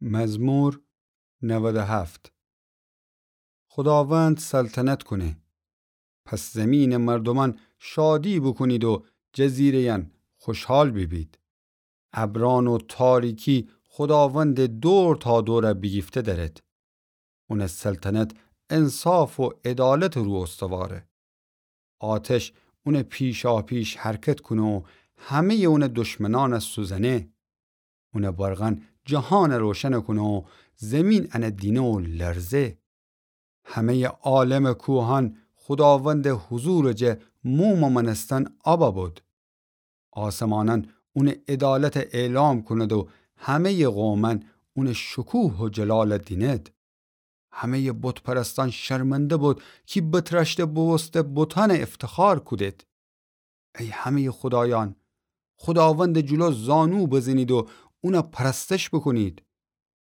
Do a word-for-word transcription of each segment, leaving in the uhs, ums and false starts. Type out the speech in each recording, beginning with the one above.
مزمور نود و هفت. خوداوند سلطنت کونه. پس زمینٚ مردومأن شادی بوکونید و جزیره‌یأن خوشحال بیبید. ابرأن و تاریکی خوداوندٚ دور تا دور بیگیفته دأرید. اونٚ سلطنت انصاف و عدالتٚ رو استواره. آتش اونٚ پیشاپیش حرکت کونه و همه‌یٚ اونٚ دشمنأن سوزنه. اونٚ برقأن جهان روشن کونه و زمین انه دینه و لرزه. همه‌یٚ عالمٚ کوهأن خوداوندٚ حضورٚ جه مومٚ مأنستن آب بد. آسمانأن اونٚ عدالت اعلام کند و همه‌یٚ قومأن اونٚ شکوه و جلال دیند. همه‌یٚ بت‌پرستأن شرمنده بد کی بترأشته بوبوسته بتأن افتخار کودید. ای همه‌یٚ خودایأن، خوداوندٚ جلو زانو بزنید و اون پرستش بوکونید.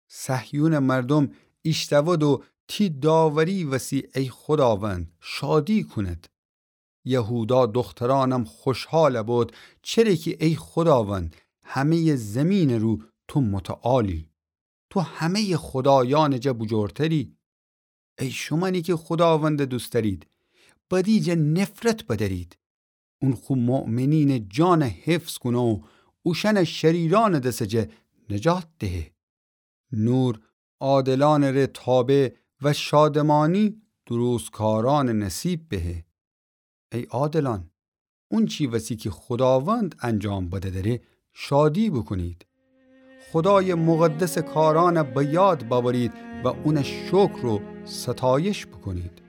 صهیونٚ مردوم ایشتأود و تی داوری وسی ای خوداوند شادی کونید. یهودا دخترأنم خوشحال بد، چره کی ای خوداوند، همه‌یٚ زمینٚ رو تو متعالی. تو همه‌یٚ خودایأنٚ جه بوجورتری. ای شومأنی کی خوداوندٚ دوست دأرید، بدی جه نفرت بدأرید. اون خو مؤمنینٚ جان حفظ کونه و اوشأن شریرأنٚ دسٚ جه نجات دهه. نور عادلأنٚ ره تابه و شادمانی درستکارأنٚ نصیب بهه. ای عادلأن، اونچی وسی کی خوداوند انجام بده دره، شادی بوکونید. خودایٚ مقدسٚ کارأن به یاد بأورید و اون شکر و ستایش بوکونید.